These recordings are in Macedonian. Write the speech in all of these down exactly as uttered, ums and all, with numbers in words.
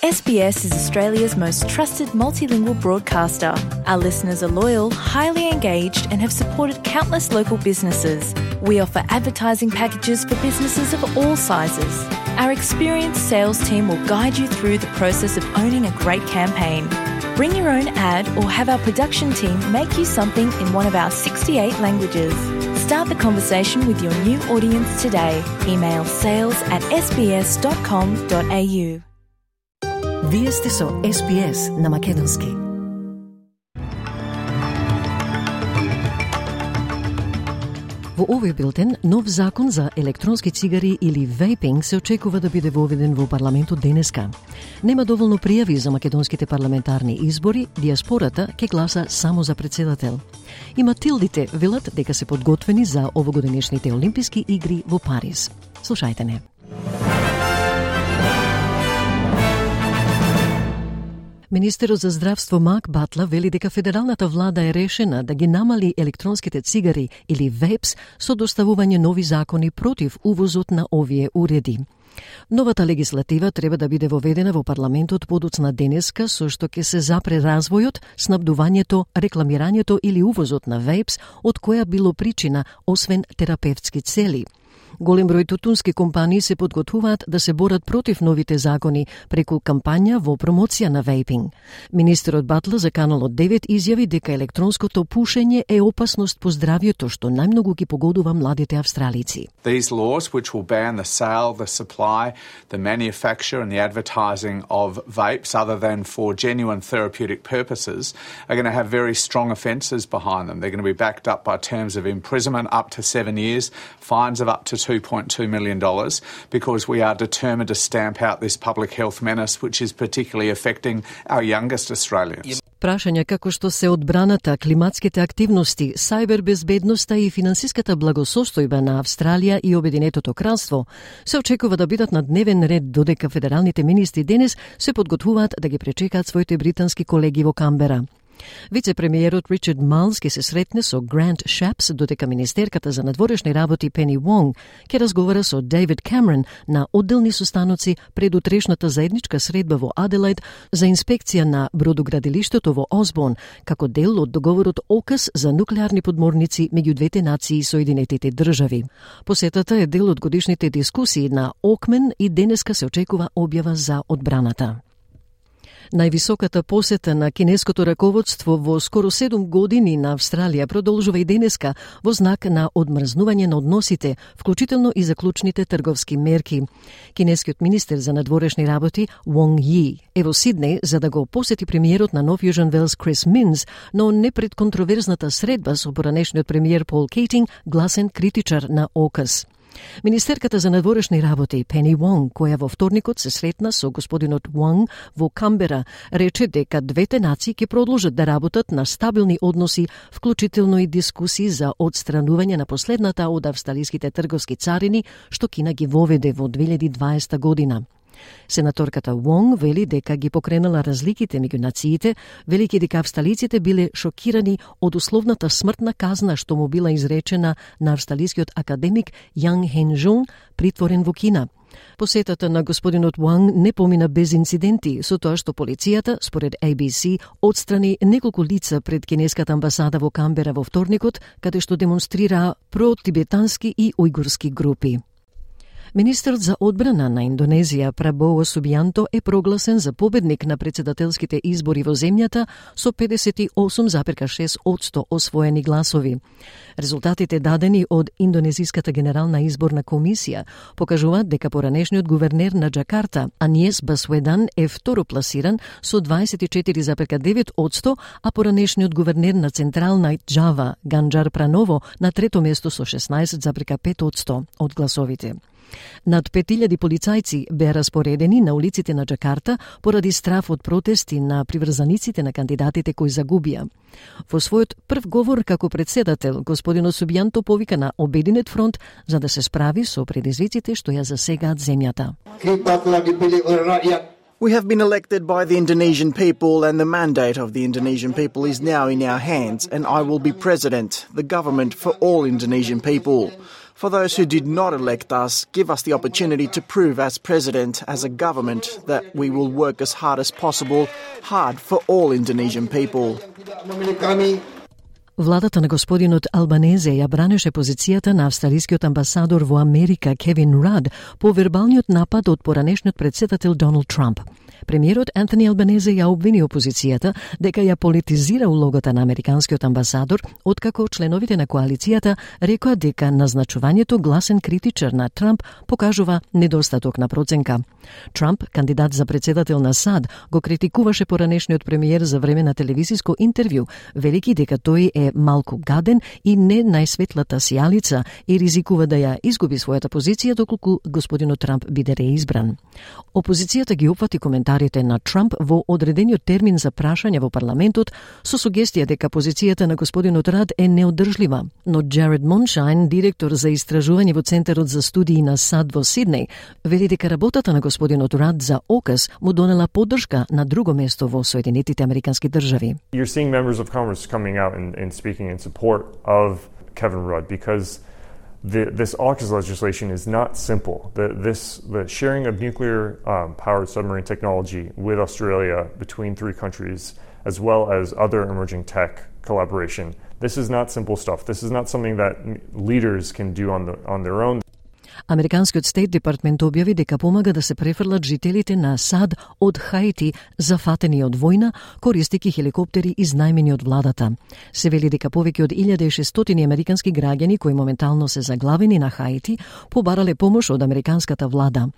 S B S is Australia's most trusted multilingual broadcaster. Our listeners are loyal, highly engaged, and have supported countless local businesses. We offer advertising packages for businesses of all sizes. Our experienced sales team will guide you through the process of owning a great campaign. Bring your own ad or have our production team make you something in one of our sixty-eight languages. Start the conversation with your new audience today. Email sales at s b s dot com dot a u. Вие сте со С Б С на Македонски. Во овој билтен, нов закон за електронски цигари или вейпинг се очекува да биде воведен во парламентот денеска. Нема доволно пријави за македонските парламентарни избори, диаспората ќе гласа само за председател. И Матилдите велат дека се подготвени за овогодинешните Олимписки игри во Париз. Слушајте не. Министерот за здравство Марк Батлер вели дека федералната влада е решена да ги намали електронските цигари или вейпс со доставување нови закони против увозот на овие уреди. Новата легислатива треба да биде воведена во парламентот подоцна денеска, со што ќе се запре развојот, снабдувањето, рекламирањето или увозот на вейпс, од која било причина, освен терапевтски цели. Голем број тутунски компании се подготвуваат да се борат против новите закони преку кампања во промоција на вейпинг. Министерот Батлер за Каналот девет изјави дека електронското пушење е опасност по здравјето што најмногу ги погодува младите австралици. These laws, which will ban the sale, the supply, the manufacture and the advertising of vapes other than for genuine therapeutic purposes, are going to have very strong offences behind them. They're going to be backed up by terms of imprisonment up to seven years, fines of up to two point two million dollars, because we are determined to stamp out this public health menace, which is particularly affecting our youngest Australians. Прашања како што се одбраната, климатските активности, сајбербезбедноста и финансиската благосостојба на Австралија и Обединетото кралство се очекува да бидат на дневен ред, додека федералните министри денес се подготвуваат да ги пречекаат своите британски колеги во Камбера. Вице-премиерот Ричард Майлс ќе се сретне со Грант Шапс, додека министерката за надворешни работи Пени Вонг ќе разговара со Дейвид Камерон на одделни состаноци пред утрешната заедничка средба во Аделаид за инспекција на бродоградилиштето во Осборн, како дел од договорот ОКАС за нуклеарни подморници меѓу двете нации и Соединетите држави. Посетата е дел од годишните дискусии на Окмен и денеска се очекува објава за одбраната. Највисоката посета на кинеското раководство во скоро седум години на Австралија продолжува и денеска во знак на одмрзнување на односите, вклучително и заклучните трговски мерки. Кинескиот министер за надворешни работи Вонг Ји е во Сиднеј за да го посети премиерот на Нов Јужен Велс Крис Минс, но не пред контроверзната средба со поранешниот премиер Пол Кейтинг, гласен критичар на ОКАС. Министерката за надворешни работи Пени Вонг, која во вторникот се сретна со господинот Вонг во Камбера, рече дека двете нации ќе продолжат да работат на стабилни односи, вклучително и дискусии за одстранување на последната од австралиските трговски царини, што Кина ги воведе во две илјади и дваесета година. Сенаторката Вонг вели дека ги покренала разликите меѓу нациите, велики дека австралиците биле шокирани од условната смртна казна што му била изречена на австралискиот академик Јанг Хен Жунг, притворен во Кина. Посетата на господинот Вонг не помина без инциденти, со тоа што полицијата, според А Б С, отстрани неколку лица пред кинеската амбасада во Камбера во вторникот, каде што демонстрираа про-тибетански и ујгурски групи. Министерот за одбрана на Индонезија Прабово Субијанто е прогласен за победник на председателските избори во земјата со педесет и осум зарез шест одсто освоени гласови. Резултатите дадени од Индонезиската генерална изборна комисија покажуваат дека поранешниот гувернер на Џакарта Аниес Басведан е второпласиран со дваесет и четири зарез девет одсто, а поранешниот гувернер на Централна Џава Ганџар Праново на трето место со шеснаесет зарез пет одсто од гласовите. Над пет илјади полицајци беа распоредени на улиците на Џакарта поради страф од протести на приврзаниците на кандидатите кои загубија. Во својот прв говор како председател, господинот Субијанто повика на Обединет фронт за да се справи со предизвиците што ја засегаат земјата. We have been elected by the Indonesian people and the mandate of the Indonesian people is now in our hands and I will be president, the government for all Indonesian people. For those who did not elect us, give us the opportunity to prove as president, as a government, that we will work as hard as possible, hard for all Indonesian people. Владата на господинот Албанезе ја бранеше позицијата на австралискиот амбасадор во Америка Кевин Рад по вербалниот напад од поранешниот председател Доналд Трамп. Премиерот Антони Албанезе ја обвини опозицијата дека ја политизира улогата на американскиот амбасадор, откако членовите на коалицијата рекоа дека назначувањето гласен критичар на Трамп покажува недостаток на проценка. Трамп, кандидат за председател на САД, го критикуваше поранешниот премиер за време на телевизиско интервју, велики дека тој е малку гаден и не најсветлата сијалица и ризикува да ја изгуби својата позиција доколку господинот Трамп биде реизбран. Опозицијата ги опфати коментарите на Трамп во одредениот термин за прашање во парламентот со сугестија дека позицијата на господинот Рад е неодржлива, но Джаред Моншайн, директор за истражување во Центарот за студии на САД во Сиднеј, вели дека работата на господинот Рад за ОКАС му донела поддршка на друго место во Соединетите Американски држави. You're seeing members of Congress coming out and, and speaking in support of Kevin Rudd because the, this AUKUS legislation is not simple. The, this, the sharing of nuclear um, powered submarine technology with Australia between three countries, as well as other emerging tech collaboration, this is not simple stuff. This is not something that leaders can do on, the, on their own. Американскиот Стейт департмент објави дека помага да се префрлат жителите на САД од Хаити зафатени од војна, користејќи хеликоптери изнајмени од владата. Се вели дека повеќе од илјада и шестстотини американски граѓани кои моментално се заглавени на Хаити побарале помош од американската влада.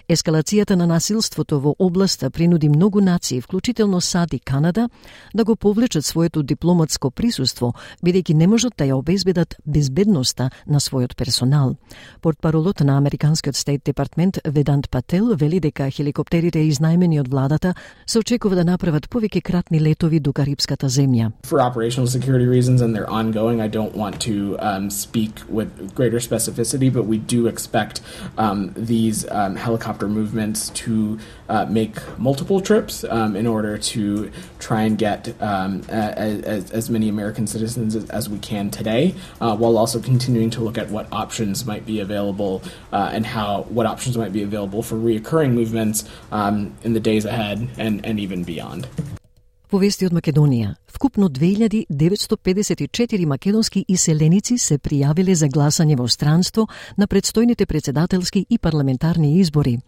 Ескалацијата на насилството во областа принуди многу нации, вклучително САД и Канада, да го повлечат своето дипломатско присуство, бидејќи не можат да ја обезбедат безбедноста на својот персонал. Портпаролот на Американскиот Стейт департмент Ведант Пател вели дека хеликоптерите изнајмени од владата се очекува да направат повеќе кратни летови до Карипската земја. For operational security reasons and they're ongoing, I don't want to um, speak with greater specificity, but we do expect um, these um, helicopter movements to uh, make multiple trips um, in order to try and get um, as, as many American citizens as, as we can today, uh, while also continuing to look at what options might be available uh, and how what options might be available for reoccurring movements um, in the days ahead and, and even beyond. Во вести од Македонија, вкупно две илјади деветстотини педесет и четири македонски иселеници се пријавиле за гласање во странство на предстојните председателски и парламентарни избори.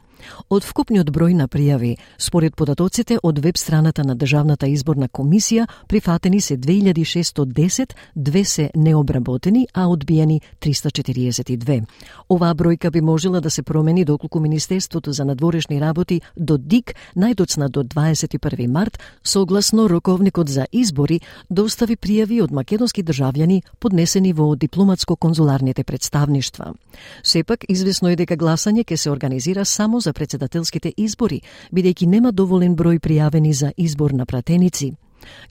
Од вкупниот број на пријави, според податоците од веб страната на Државната изборна комисија, прифатени се две илјади шестстотини и десет, две се необработени, а одбиени триста четириесет и две. Оваа бројка би можела да се промени доколку Министерството за надворешни работи до ДИК најдоцна до дваесет и први март, согласно роковникот за избори, достави пријави од македонски државјани поднесени во дипломатско-конзуларните представништва. Сепак, известно е дека гласање ќе се организира само за председателските избори, бидејќи нема доволен број пријавени за избор на пратеници.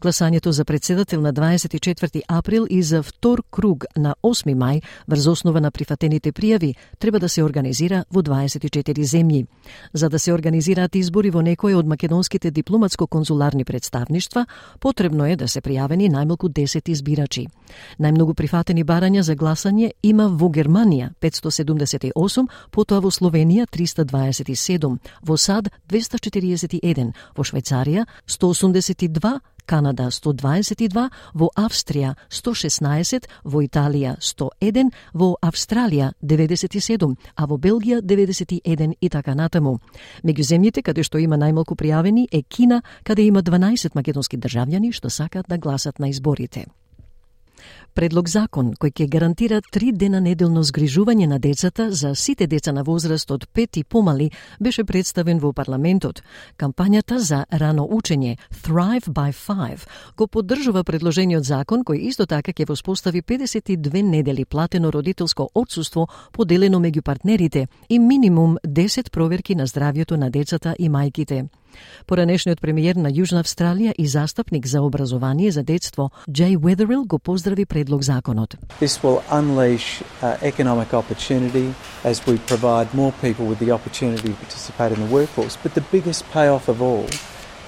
Гласањето за председател на дваесет и четврти април и за втор круг на осми мај, врз основа на прифатените пријави, треба да се организира во дваесет и четири земји. За да се организираат избори во некој од македонските дипломатско-конзуларни представништва, потребно е да се пријавени најмалку десет избирачи. Најмногу прифатени барања за гласање има во Германија петстотини седумдесет и осум, потоа во Словенија триста дваесет и седум, во САД двеста четириесет и еден, во Швајцарија сто осумдесет и два, Канада сто дваесет и два, во Австрија сто шеснаесет, во Италија сто еден, во Австралија деветдесет и седум, а во Белгија деветдесет и еден и така натаму. Меѓу земјите каде што има најмалку пријавени е Кина, каде има дванаесет македонски државјани што сакаат да гласат на изборите. Предлог закон кој ќе гарантира три дена неделно згрижување на децата за сите деца на возраст од пет и помали беше представен во парламентот. Кампањата за рано учење Thrive by Five го поддржува предложениот закон кој исто така ќе воспостави педесет и две недели платено родителско отсуство поделено меѓу партнерите и минимум десет проверки на здравјето на децата и мајките. Поранешниот премиер на Јужна Австралија и застапник за образование за детство Джей Уедерил го поздрави предлог законот. This will unleash uh, economic opportunity as we provide more people with the opportunity to participate in the workforce. But the biggest payoff of all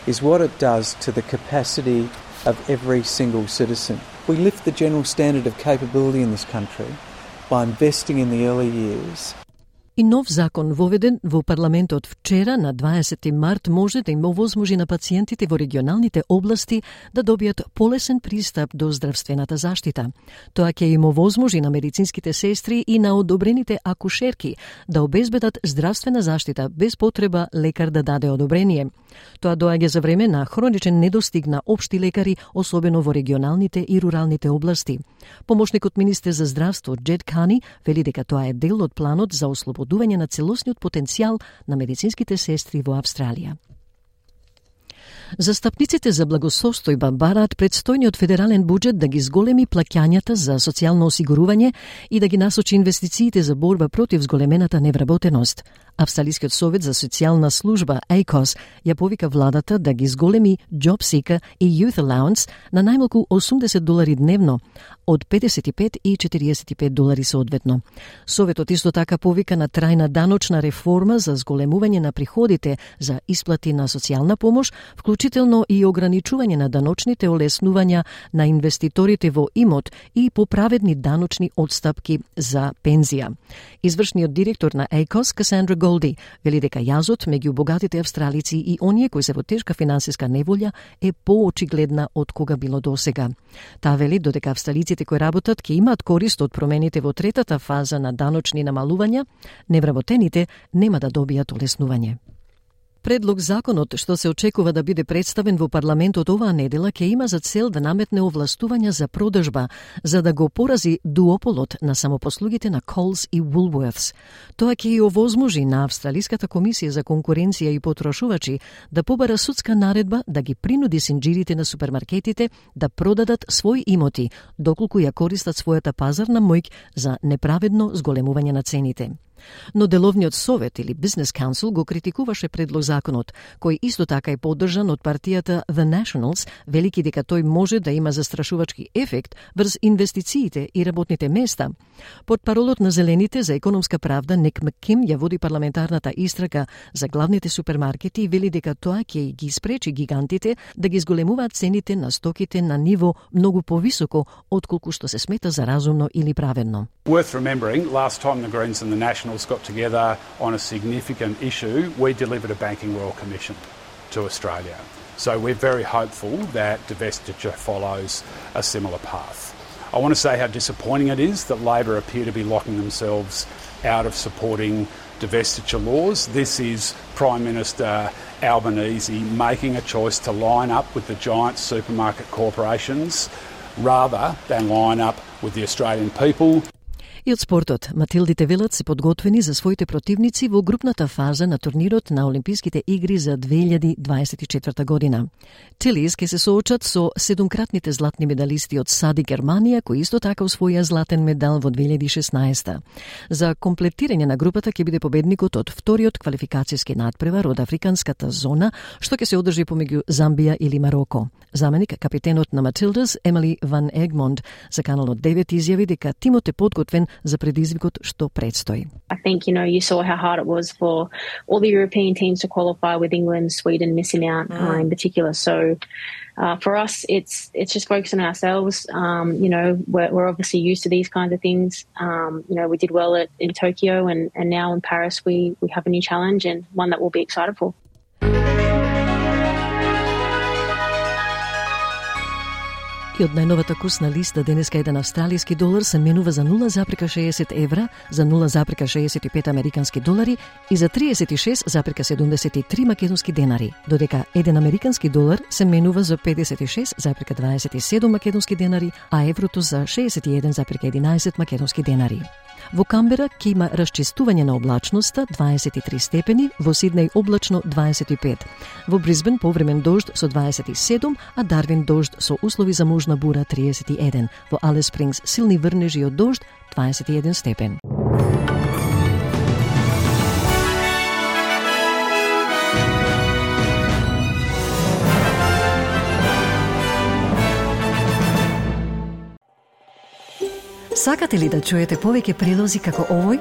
is what it does to the capacity of every single citizen. We lift the general standard of capability in this country by investing in the early years. И нов закон воведен во парламентот вчера на дваесети март може да им овозможи на пациентите во регионалните области да добијат полесен пристап до здравствената заштита. Тоа ќе им овозможи на медицинските сестри и на одобрените акушерки да обезбедат здравствена заштита без потреба лекар да даде одобрение. Тоа доаѓа за време на хроничен недостиг на општи лекари, особено во регионалните и руралните области. Помошникот министер за здравство Джед Кани вели дека тоа е дел од планот за ослободување на целосниот потенцијал на медицинските сестри во Австралија. Застапниците за благосостојба бараат предстојниот федерален буџет да ги зголеми плаќањата за социјално осигурување и да ги насочи инвестициите за борба против зголемената невработеност. Австралискиот совет за социјална служба А К О С ја повика владата да ги зголеми Job Seeker и Youth Allowance на најмалку осумдесет долари дневно, од педесет и пет и четириесет и пет долари соодветно. Советот исто така повика на трајна даночна реформа за зголемување на приходите за исплати на социјална помош, вклучително и ограничување на даночните олеснувања на инвеститорите во имот и поправедни даночни одстапки за пензија. Извршниот директор на А К О С, Касандра Голди, вели дека јазот меѓу богатите австралици и оние кои се во тешка финансиска неволја е поочигледна од кога било досега. Таа вели додека австралиците кои работат ќе имаат корист од промените во третата фаза на даночни намалувања, невработените нема да добијат олеснување. Предлог законот што се очекува да биде представен во парламентот оваа недела ќе има за цел да наметне овластувања за продажба за да го порази дуополот на самопослугите на Coles и Woolworths. Тоа ќе и овозможи на Австралиската комисија за конкуренција и потрошувачи да побара судска наредба да ги принуди синџирите на супермаркетите да продадат своји имоти доколку ја користат својата пазарна моќ за неправедно зголемување на цените. Но Деловниот совет или Business Council го критикуваше предлог законот, кој исто така е поддржан од партијата The Nationals, велики дека тој може да има застрашувачки ефект врз инвестициите и работните места. Под паролот на Зелените за економска правда, Ник Макким ја води парламентарната истрага за главните супермаркети и вели дека тоа ќе ги спречи гигантите да ги зголемуваат цените на стоките на ниво многу повисоко отколку што се смета за разумно или праведно. Worth remembering, last time the Greens and the Nationals got together on a significant issue, we delivered a Banking Royal Commission to Australia. So we're very hopeful that divestiture follows a similar path. I want to say how disappointing it is that Labor appear to be locking themselves out of supporting divestiture laws. This is Prime Minister Albanese making a choice to line up with the giant supermarket corporations rather than line up with the Australian people. И од спортот, Матилдите велат се подготвени за своите противници во групната фаза на турнирот на Олимписките игри за две илјади дваесет и четврта година. Телис ќе се соочат со седумкратните златни медалисти од САД и Германија, кои исто така освоија златен медал во две илјади и шеснаесета. За комплетирање на групата ќе биде победникот од вториот квалификацијски надпревар од африканската зона, што ќе се одржи помеѓу Замбија или Мароко. Заменик капитенот на Матилдас, Емили Ван Егмонд, за Каналот девет изјави дека тимот е подготвен за предизвикот што предстои. I think, you know, you saw how hard it was for all the European teams to qualify with England, Sweden missing out mm. uh, in particular. So uh, for us, it's it's just focusing on ourselves. Um, you know, we're, we're obviously used to these kinds of things. Um, you know, we did well at, in Tokyo and, and now in Paris we, we have a new challenge and one that we'll be excited for. И од најновата курсна листа денеска еден австралиски долар се менува за нула запирка шеесет евра, за нула запирка шеесет и пет американски долари и за триесет и шест запирка седумдесет и три македонски денари, додека еден американски долар се менува за педесет и шест запирка дваесет и седум македонски денари, а еврото за шеесет и еден запирка единаесет македонски денари. Во Камбера ќе има расчистување на облачноста дваесет и три степени, во Сиднеј облачно дваесет и пет. Во Брисбен повремен дожд со дваесет и седум, а Дарвин дожд со услови за можна бура триесет и еден. Во Алис Спрингс силни врнежи од дожд дваесет и еден степен. Сакате ли да чуете повеќе прилози како овој?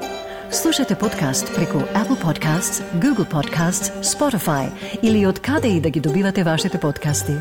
Слушате подкаст преку Apple Podcasts, Google Podcasts, Spotify или од каде и да ги добивате вашите подкасти.